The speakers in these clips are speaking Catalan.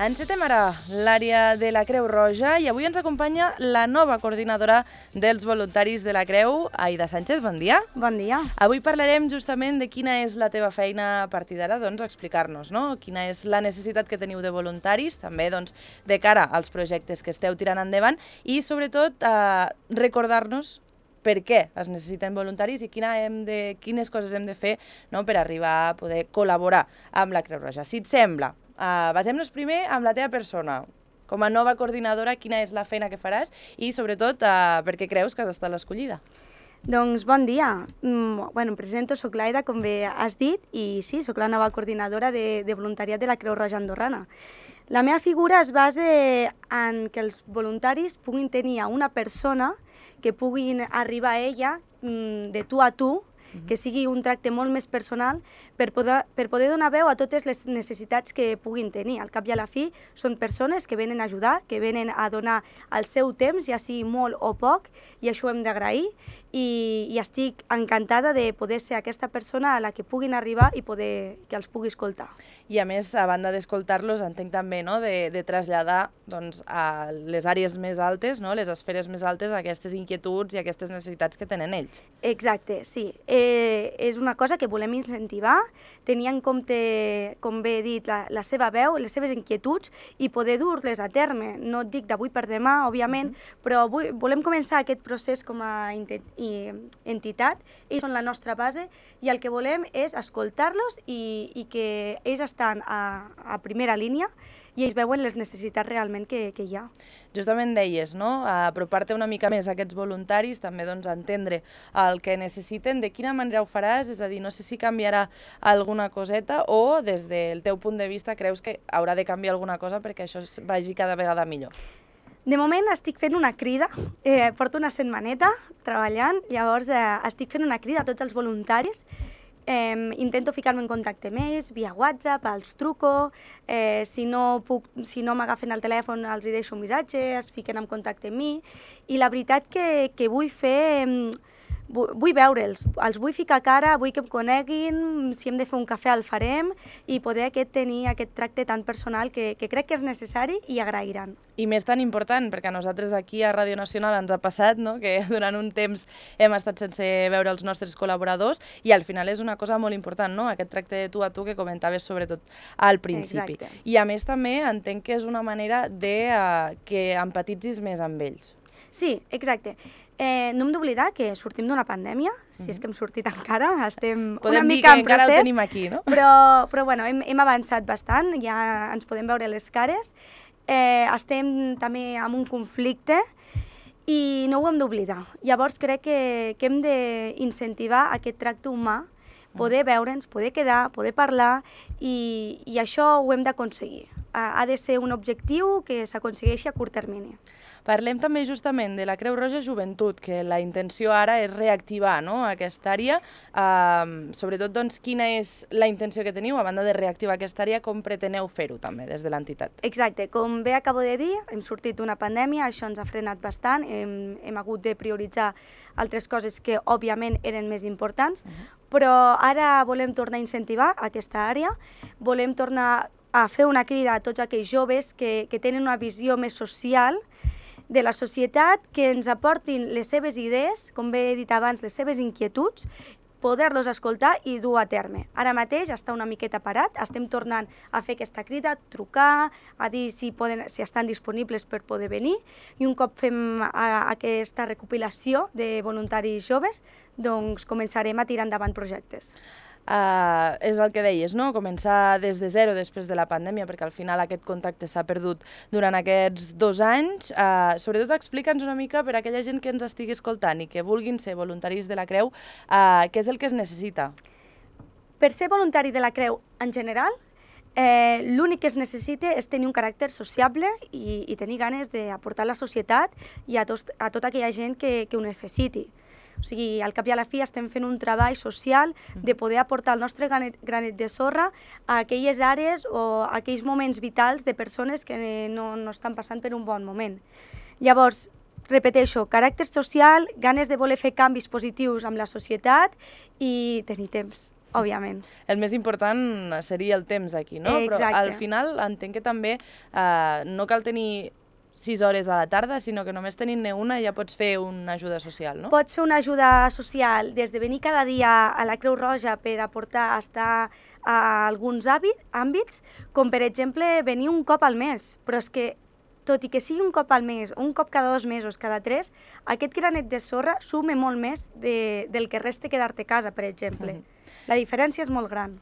Encetem ara l'àrea de la Creu Roja i avui ens acompanya la nova coordinadora dels voluntaris de la Creu, Aida Sánchez. Bon dia. Bon dia. Avui parlarem justament de quina és la teva feina a partir d'ara, doncs explicar-nos, no? Quina és la necessitat que teniu de voluntaris, també doncs, de cara als projectes que esteu tirant endavant i sobretot recordar-nos per què es necessiten voluntaris i quines coses hem de fer, no, per arribar a poder col·laborar amb la Creu Roja. Si et sembla, basem-nos primer amb la teva persona. Com a nova coordinadora, quina és la feina que faràs i, sobretot, per què creus que has estat l'escollida? Doncs bon dia. Em presento, soc l'Aida, com bé has dit, i sí, soc la nova coordinadora de voluntariat de la Creu Roja Andorrana. La meva figura es basa en que els voluntaris puguin tenir una persona que puguin arribar a ella de tu a tu, que sigui un tracte molt més personal per poder donar veu a totes les necessitats que puguin tenir. Al cap i a la fi són persones que venen a ajudar, que venen a donar el seu temps, ja sigui molt o poc, i això ho hem d'agrair i estic encantada de poder ser aquesta persona a la que puguin arribar i que els pugui escoltar. I a més, a banda d'escoltar-los, entenc també, no, de traslladar doncs, a les àrees més altes, no, les esferes més altes, aquestes inquietuds i aquestes necessitats que tenen ells. Exacte, sí. És una cosa que volem incentivar, tenir en compte, com bé he dit, la seva veu, les seves inquietuds i poder dur-les a terme. No et dic d'avui per demà, òbviament, però volem començar aquest procés com a entitat. Ells són la nostra base i el que volem és escoltar-los i que ells estan a primera línia i ells veuen les necessitats realment que hi ha. Justament deies, no? Apropar-te una mica més a aquests voluntaris, també doncs, entendre el que necessiten, de quina manera ho faràs, és a dir, no sé si canviarà alguna coseta o des del teu punt de vista creus que haurà de canviar alguna cosa perquè això vagi cada vegada millor. De moment estic fent una crida, porto una setmaneta treballant, llavors estic fent una crida a tots els voluntaris. Intento ficar-me en contacte amb ells, via WhatsApp, els truco, si no m'agafen el telèfon els hi deixo un missatge, es fiquen en contacte amb mi, i la veritat que vull fer... Vull veure'ls, els vull ficar cara, vull que em coneguin, si hem de fer un cafè el farem i poder tenir aquest tracte tan personal que crec que és necessari i agrairan. I més tan important, perquè a nosaltres aquí a Ràdio Nacional ens ha passat, no?, que durant un temps hem estat sense veure els nostres col·laboradors i al final és una cosa molt important, no?, aquest tracte de tu a tu que comentaves sobretot al principi. Exacte. I a més també entenc que és una manera de que empatitzis més amb ells. Sí, exacte. No hem d'oblidar que sortim d'una pandèmia, si és que hem sortit encara, estem una mica en procés. Podem dir que encara ho tenim aquí, no? Però bueno, hem avançat bastant, ja ens podem veure les cares, estem també en un conflicte i no ho hem d'oblidar. Llavors crec que hem d'incentivar aquest tracte humà, poder veure'ns, poder quedar, poder parlar i això ho hem d'aconseguir. Ha de ser un objectiu que s'aconsegueixi a curt termini. Parlem també justament de la Creu Roja Joventut, que la intenció ara és reactivar, no?, aquesta àrea. Sobretot, doncs, quina és la intenció que teniu, a banda de reactivar aquesta àrea, com preteneu fer-ho també des de l'entitat? Exacte, com bé acabo de dir, hem sortit d'una pandèmia, això ens ha frenat bastant, hem hagut de prioritzar altres coses que òbviament eren més importants, però ara volem tornar a incentivar aquesta àrea, volem tornar a fer una crida a tots aquells joves que tenen una visió més social de la societat, que ens aportin les seves idees, com bé he dit abans, les seves inquietuds, poder-los escoltar i dur a terme. Ara mateix està una miqueta parat, estem tornant a fer aquesta crida, trucar, a dir si estan disponibles per poder venir, i un cop fem aquesta recopilació de voluntaris joves, doncs començarem a tirar endavant projectes. És el que deies, no?, començar des de zero després de la pandèmia, perquè al final aquest contacte s'ha perdut durant aquests 2 anys. Sobretot explica'ns una mica per a aquella gent que ens estigui escoltant i que vulguin ser voluntaris de la Creu, què és el que es necessita? Per ser voluntari de la Creu en general, l'únic que es necessita és tenir un caràcter sociable i tenir ganes d'aportar a la societat i a tota aquella gent que ho necessiti. O sigui, al cap i a la fi estem fent un treball social de poder aportar el nostre granet de sorra a aquelles àrees o a aquells moments vitals de persones que no estan passant per un bon moment. Llavors, repeteixo, caràcter social, ganes de voler fer canvis positius amb la societat i tenir temps. òbviament. El més important seria el temps aquí, no? Exacte. Però al final entenc que també no cal tenir 6 hores a la tarda, sinó que només tenint-ne una ja pots fer una ajuda social, no? Pots fer una ajuda social des de venir cada dia a la Creu Roja per aportar a estar a alguns àmbits, com per exemple venir un cop al mes, però és que tot i que sigui un cop al mes, un cop cada 2 mesos, cada 3, aquest granet de sorra sume molt més del que resta quedar-te a casa, per exemple. La diferència és molt gran.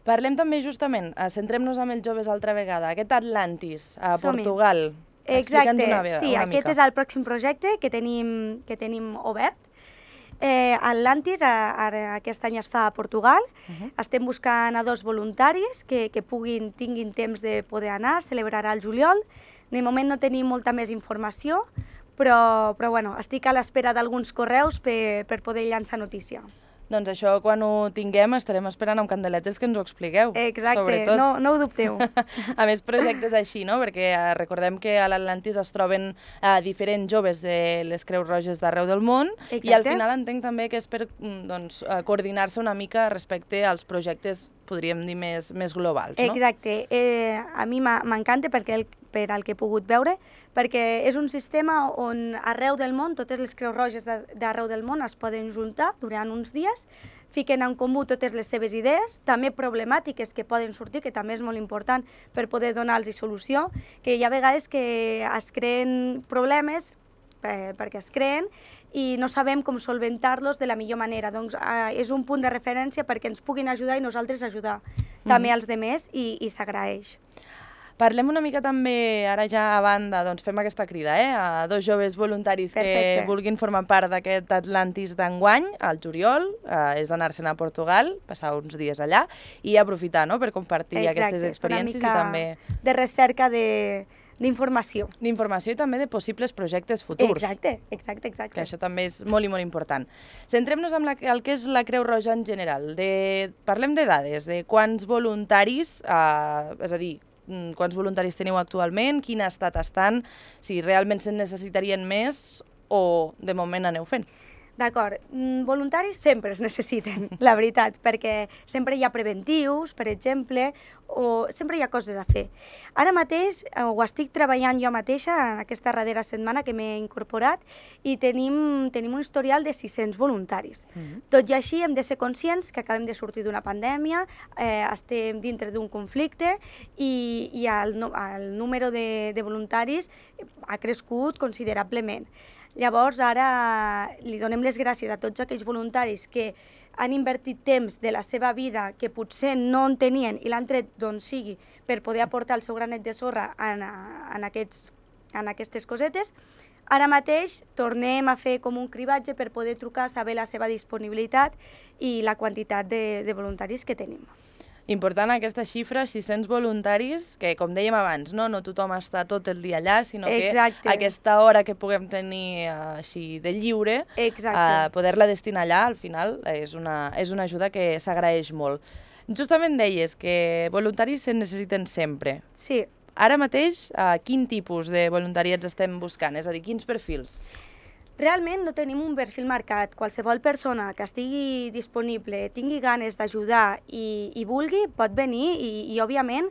Parlem també justament, centrem-nos amb els joves altra vegada, aquest Atlantis, a Portugal. Exacte, sí, aquest és el pròxim projecte que tenim obert. Atlantis aquest any es fa a Portugal. Estem buscant a 2 voluntaris que tinguin temps de poder anar, celebrarà el juliol. De moment no tenim molta més informació, però bueno, estic a l'espera d'alguns correus per poder llançar notícia. Doncs això, quan ho tinguem, estarem esperant amb candeletes que ens ho expliqueu. Exacte, no ho dubteu. A més, projectes així, no? Perquè recordem que a l'Atlantis es troben diferents joves de les Creus Roges d'arreu del món. Exacte. I al final entenc també que és per coordinar-se una mica respecte als projectes, podríem dir, més globals, no? Exacte. A mi m'encanta per al que he pogut veure, perquè és un sistema on arreu del món, totes les Creus Roges d'arreu del món es poden juntar durant uns dies, fiquen en comú totes les seves idees, també problemàtiques que poden sortir, que també és molt important per poder donar-los solució, que hi ha vegades que es creen problemes perquè es creen i no sabem com solventar-los de la millor manera. Doncs és un punt de referència perquè ens puguin ajudar i nosaltres ajudar també als demés i s'agraeix. Parlem una mica també, ara ja a banda, doncs fem aquesta crida, a 2 joves voluntaris que vulguin formar part d'aquest Atlantis d'enguany, al juliol, és anar-se'n a Portugal, passar uns dies allà i aprofitar per compartir aquestes experiències i també... de recerca d'informació. D'informació i també de possibles projectes futurs. Exacte. Que això també és molt i molt important. Centrem-nos en el que és la Creu Roja en general. Parlem de dades, de quants voluntaris, és a dir, quants voluntaris teniu actualment, quin estat estan, si realment se'n necessitarien més o de moment aneu fent. D'acord, voluntaris sempre es necessiten, la veritat, perquè sempre hi ha preventius, per exemple, o sempre hi ha coses a fer. Ara mateix ho estic treballant jo mateixa en aquesta darrera setmana que m'he incorporat i tenim un historial de 600 voluntaris. Tot i així hem de ser conscients que acabem de sortir d'una pandèmia, estem dintre d'un conflicte i el número de voluntaris ha crescut considerablement. Llavors, ara li donem les gràcies a tots aquells voluntaris que han invertit temps de la seva vida que potser no en tenien i l'han tret d'on sigui per poder aportar el seu granet de sorra en aquestes cosetes. Ara mateix tornem a fer com un cribatge per poder trucar, saber la seva disponibilitat i la quantitat de voluntaris que tenim. Important aquesta xifra, 600 voluntaris, que com dèiem abans, no tothom està tot el dia allà, sinó que aquesta hora que puguem tenir així de lliure, poder-la destinar allà, al final, és una ajuda que s'agraeix molt. Justament deies que voluntaris se necessiten sempre. Sí. Ara mateix, quin tipus de voluntariats estem buscant? És a dir, quins perfils? Realment no tenim un perfil marcat. Qualsevol persona que estigui disponible, tingui ganes d'ajudar i vulgui, pot venir i òbviament,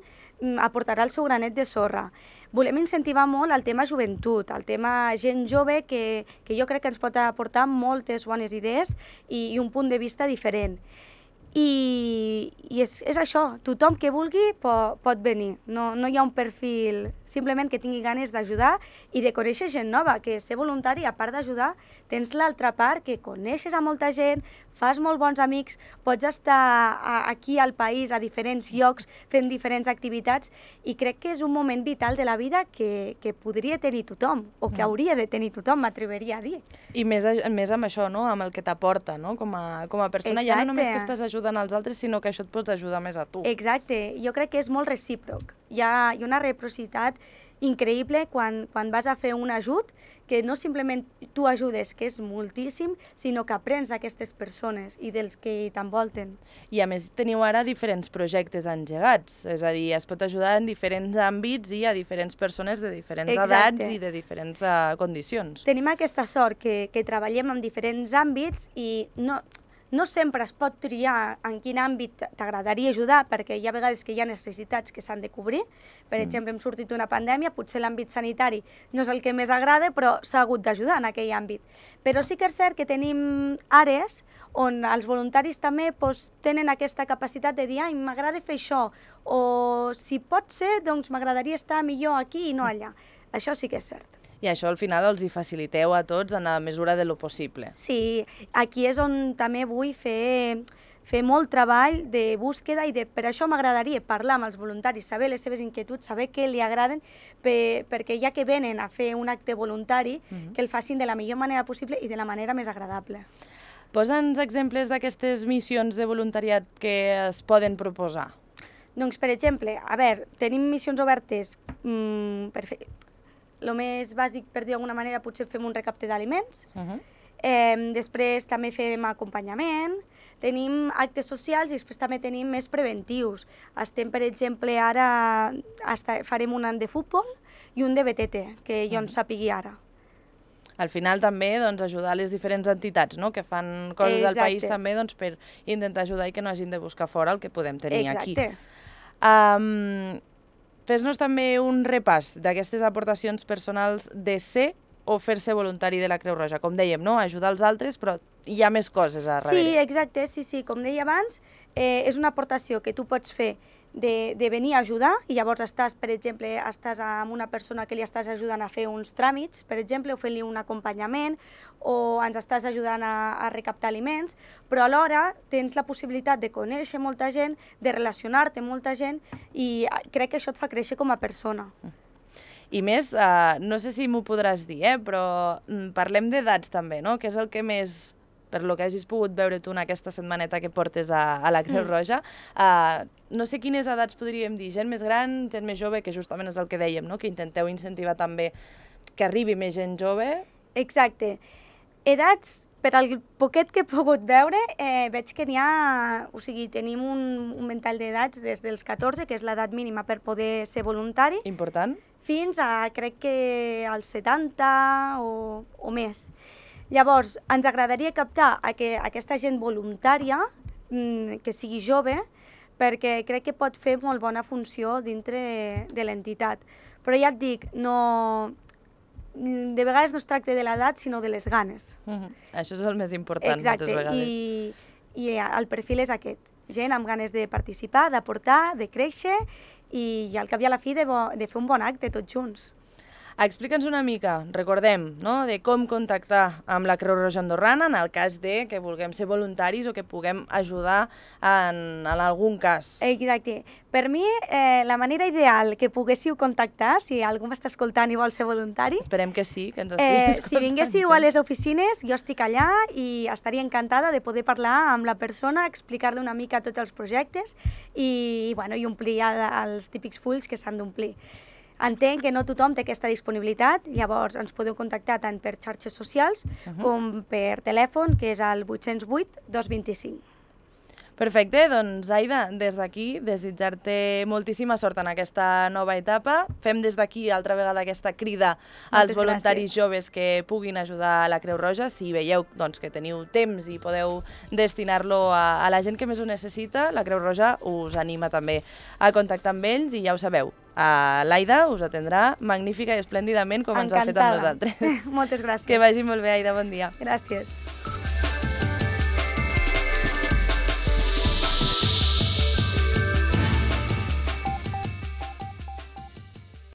aportarà el seu granet de sorra. Volem incentivar molt el tema joventut, el tema gent jove que jo crec que ens pot aportar moltes bones idees i un punt de vista diferent. I és això, tothom que vulgui pot venir, no hi ha un perfil, simplement que tingui ganes d'ajudar i de conèixer gent nova, que ser voluntari, a part d'ajudar, tens l'altra part que coneixes a molta gent, fas molt bons amics, pots estar aquí al país, a diferents llocs, fent diferents activitats i crec que és un moment vital de la vida que podria tenir tothom, o que hauria de tenir tothom, m'atreveria a dir. I més amb això, amb el que t'aporta, com a persona, ja no només que estàs ajudant als altres, sinó que això et pot ajudar més a tu. Exacte, jo crec que és molt recíproc. Hi ha una reciprocitat increïble quan vas a fer un ajut, que no simplement tu ajudes, que és moltíssim, sinó que aprens d'aquestes persones i dels que t'envolten. I a més teniu ara diferents projectes engegats, és a dir, es pot ajudar en diferents àmbits i a diferents persones de diferents edats i de diferents condicions. Tenim aquesta sort que treballem en diferents àmbits i no No sempre es pot triar en quin àmbit t'agradaria ajudar, perquè hi ha vegades que hi ha necessitats que s'han de cobrir. Per exemple, hem sortit d'una pandèmia, potser l'àmbit sanitari no és el que més agrada, però s'ha hagut d'ajudar en aquell àmbit. Però sí que és cert que tenim àrees on els voluntaris també tenen aquesta capacitat de dir m'agrada fer això, o si pot ser, doncs m'agradaria estar millor aquí i no allà. Això sí que és cert. I això al final els hi faciliteu a tots en la mesura de lo possible. Sí, aquí és on també vull fer molt treball de búsqueda i per això m'agradaria parlar amb els voluntaris, saber les seves inquietuds, saber què li agraden, perquè ja que venen a fer un acte voluntari, que el facin de la millor manera possible i de la manera més agradable. Posa'ns exemples d'aquestes missions de voluntariat que es poden proposar. Doncs, per exemple, tenim missions obertes per fer... El més bàsic, per dir d'alguna manera, potser fem un recapte d'aliments. Després també fem acompanyament, tenim actes socials i després també tenim més preventius. Estem, per exemple, ara farem un any de futbol i un de BTT, que jo en sàpigui ara. Al final també ajudar les diferents entitats que fan coses al país també per intentar ajudar i que no hagin de buscar fora el que podem tenir aquí. Fes-nos també un repàs d'aquestes aportacions personals de ser o fer-se voluntari de la Creu Roja. Com dèiem, ajudar els altres, però hi ha més coses a darrere. Sí, exacte, sí. Com deia abans, és una aportació que tu pots fer de venir a ajudar i llavors estàs amb una persona que li estàs ajudant a fer uns tràmits, per exemple, o fent-li un acompanyament, o ens estàs ajudant a recaptar aliments, però alhora tens la possibilitat de conèixer molta gent, de relacionar-te amb molta gent i crec que això et fa créixer com a persona. I més, no sé si m'ho podràs dir, però parlem d'edats també, no? Que és el que més, per lo que hagis pogut veure tu en aquesta setmaneta que portes a la Creu Roja, no sé quines edats podríem dir, gent més gran, gent més jove, que justament és el que dèiem, no? Que intenteu incentivar també que arribi més gent jove. Exacte. Edats, per al poquet que he pogut veure, veig que n'hi ha... O sigui, tenim un ventall d'edats des dels 14, que és l'edat mínima per poder ser voluntari. Important. Fins a, crec que, als 70 o més. Llavors, ens agradaria captar aquesta gent voluntària, que sigui jove, perquè crec que pot fer molt bona funció dintre de l'entitat. Però ja et dic, de vegades no es tracta de l'edat, sinó de les ganes. Això és el més important, moltes vegades. Exacte, i el perfil és aquest. Gent amb ganes de participar, d'aportar, de créixer i al cap i a la fi de fer un bon acte tots junts. Explica'ns una mica, recordem, de com contactar amb la Creu Roja Andorrana en el cas de que vulguem ser voluntaris o que puguem ajudar en algun cas. Exacte. Per mi, la manera ideal que poguéssiu contactar, si algú m'està escoltant i vol ser voluntari... Esperem que sí, que ens estiguis escoltant. Si vinguéssiu a les oficines, jo estic allà i estaria encantada de poder parlar amb la persona, explicar-li una mica tots els projectes i omplir els típics fulls que s'han d'omplir. Entenc que no tothom té aquesta disponibilitat, llavors ens podeu contactar tant per xarxes socials com per telèfon, que és el 808 225. Perfecte, doncs Aida, des d'aquí desitjar-te moltíssima sort en aquesta nova etapa. Fem des d'aquí altra vegada aquesta crida als voluntaris joves que puguin ajudar a la Creu Roja. Si veieu que teniu temps i podeu destinar-lo a la gent que més ho necessita, la Creu Roja us anima també a contactar amb ells i ja ho sabeu. L'Aida us atendrà magnífica i esplèndidament com ens ha fet amb nosaltres. Moltes gràcies. Que vagi molt bé, Aida, bon dia. Gràcies.